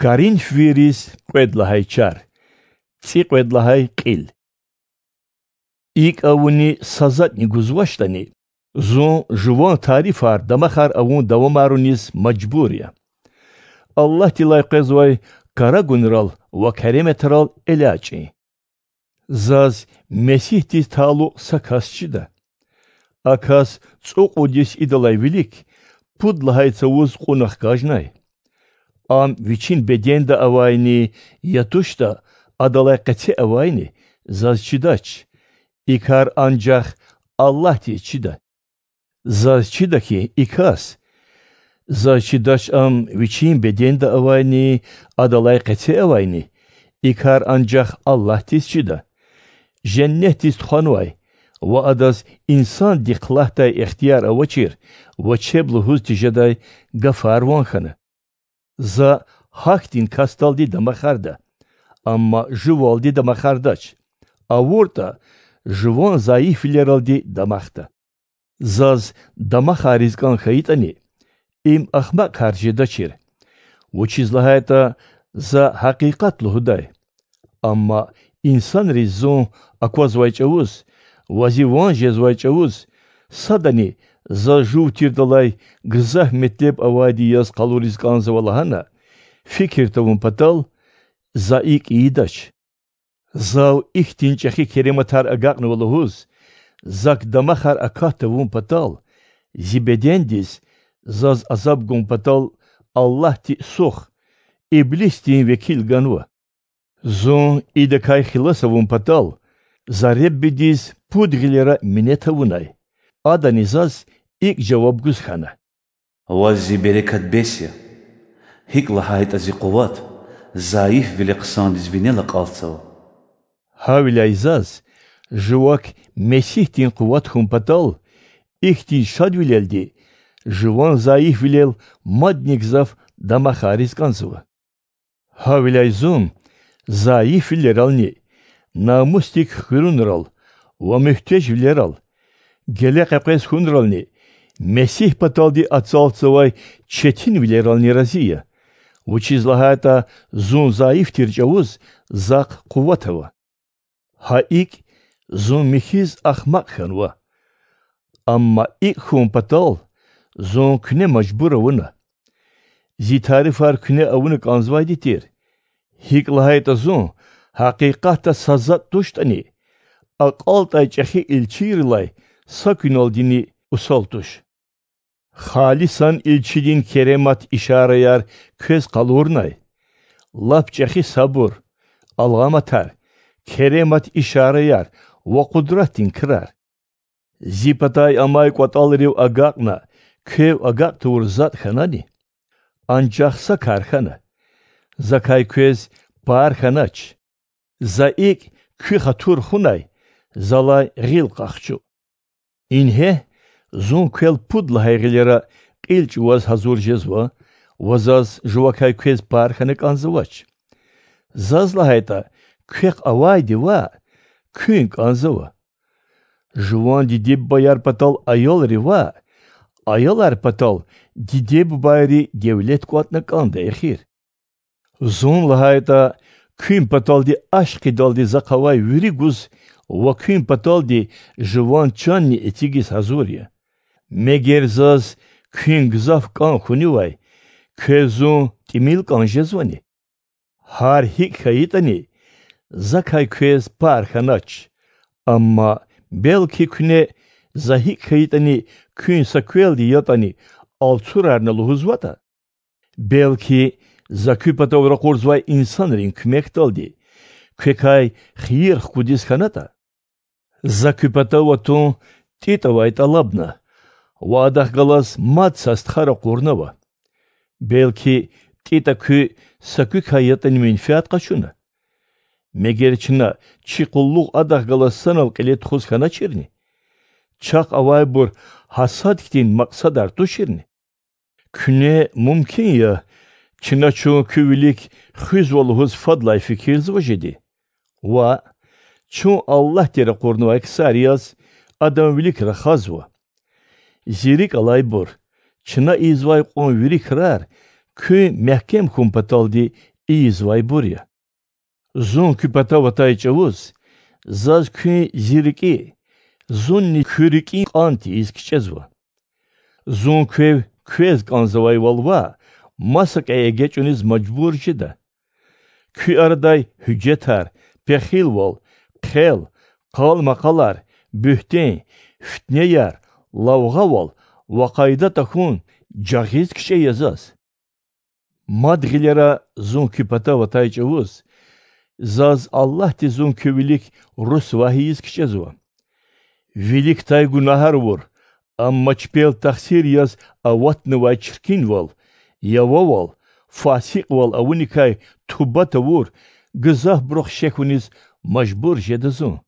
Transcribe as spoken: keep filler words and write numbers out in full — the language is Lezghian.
Коринфвийриз кьвед лагьай чар, цӀикьвед лагьай кьил. ИкӀ авуни са затӀни гузвачтӀани, зун жуван тарифар, дамахар авун давамаруниз мажбур я. Аллагьдилай къвезвай карагунрал ва кереметрал элячӀин. Заз Месигьдиз талукь са кас чида. А кас цӀукьуд йис идалай вилик пуд лагьай цавуз кьуна хкажнай. Ам вичин беденда авайни я тушда, адалай къеце авайни, заз чидач. И кар анжах Аллагьдиз чида. Заз чида хьи, и кас, заз чидач ам вичин беденда авайни, адалай къеце авайни, и кар анжах Аллагьдиз чида. Женнетдиз тухванвай ва адаз инсандихъ лагьдай ихтияр авачир ва чеб лугьуз тежедай гафар ван хьана. За гьахьтин касдалди дамахарда, амма жувалди дамахардач, авуртӀа, жуван зайифвилералди дамахда. Заз дамахариз кӀан хьайитӀани, им ахмакь кар жедачир, вучиз лагьайтӀа за гьакъикъат лугьудай. Амма инсанриз зун аквазвай чӀавуз ва зи ван жезвай чӀавуз, садани заз жув тирдалай гзаф метлеб авайди яз къалуриз кӀанзава лагьана фикир тавун патал, за икӀ ийидач. Зав ихьтин чӀехи керематар агакьнава лугьуз, зак дамахар акат тавун патал, зи бедендиз заз азаб гун патал Аллагьди Сух, Иблисдин векил ганва. Зун идакай хилас авун патал, за Реббидиз пуд гъилера минет авунай. Адани заз икӀ жаваб гуз хьана: Ваз зи берекат бес я, гьикӀ лагьайтӀа зи къуват зайифвиле хъсандиз винел акьалтзава. Гьавиляй заз, жувак Месигьдин къуват хьун патал, ихьтин шадвилелди жуван зайифвилел мадни гзаф дамахариз кӀанзава. Гьавиляй зун зайифвилерални, намусдик хуьруьнрал ва муьгьтежвилерал, геле къекъвез хьунрални, Месигь паталди ацалтзавай четинвилерални рази я, вучиз лагьайтӀа зун зайиф тир чӀавуз захъ къуват ава. Гьа икӀ, зун михьиз ахмакь хьанва. Амма икӀ хьун патал зун куьне мажбур авуна. Зи тарифар куьне авуна кӀанзавайди тир, гьикӀ лагьайтӀа зун, гьакъикъатда са затӀ туштӀани, акьалтӀай чӀехи илчийрилай са куьналдини усал туш. Халисан илчидин керемат ишараяр квез къалурнай: лап чӀехи сабур, аламатар, керемат ишараяр ва къудратдин крар. Зи патай амай кӀватӀалрив агакьна квев агакь тавур затӀ хьанани? Анжах са кар хьана: закай квез пар хьанач. За икӀ куь хатур хунай залай гъил къахчу. Ингье, зун квел пуд лагьай гъилера кьил чӀугваз гьазур жезва ва заз жувакай квез пар хьана кӀанзавач. Заз лагьайтӀа, квехъ авайди ваъ, куьн кӀанзава. Жуван диде-бубаяр патал аялри ваъ, аялар патал диде-бубайри девлет кӀватӀна кӀанда эхир. Зун лагьайтӀа, куьн паталди ашкъидалди захъ авай вири гуз ва куьн паталди жуван чанни эцигиз гьазур я. Мегер заз куьн гзаф кӀан хьунивай, квез зун тӀимил кӀан жезвани? Гьар гьикӀ хьайитӀани, закай квез пар хьанач. Амма, белки, куьне за гьикӀ хьайитӀани куьн са квелди ятӀани алцурарна лугьузватӀа? Белки, за куь патав ракъурзавай инсанрин куьмекдалди квекай хийир хкудиз хьанатӀа? За куь патав атун ТӀитӀавай тӀалабна ва адахъ галаз мад са стха ракъурнава. Белки, ТӀитӀа куьн са куькай ятӀани менфят къачуна? Мегер чна чи къуллугъ адахъ галаз санал кьиле тухуз хьаначирни? Чахъ авайбур гьа сад хьтин макьсадар туширни? Куьне мумкин я, чна чун куь вилик хуьзва лугьуз фадлай фикирзава жеди? Ваъ, чун Аллагьди ракъурнавай ксар яз, Адан вилик рахазва. Зи рикӀ алайбур, чна ийизвай кьван вири крар куьн мягькем хьун паталди ийизвайбур я. Зун куь патав атай чІавуз заз куьн зи рикІи, зунни куь рикІин кьан тийиз кичІезва. Зун квев квез кІанзавайвал ваъ, масакІа эгечІуниз мажбур жеда. Куь арадай гьуьжетар, пехилвал, хъел, къал-макъалар, буьгьтен, фитнеяр, лавгъавал ва къайда тахьун жагъиз кичІе я заз. Мад гъилера зун куь патав атай чІавуз заз Аллагьди зун куь вилик русвагь ийиз кичІезва. Виликдай гунагьар авур, амма чпел тахсир яз аватнавай чиркинвал, явавал, фасикьвал авуникай туба тавур гзафбурухъ шехьуниз мажбур жеда зун.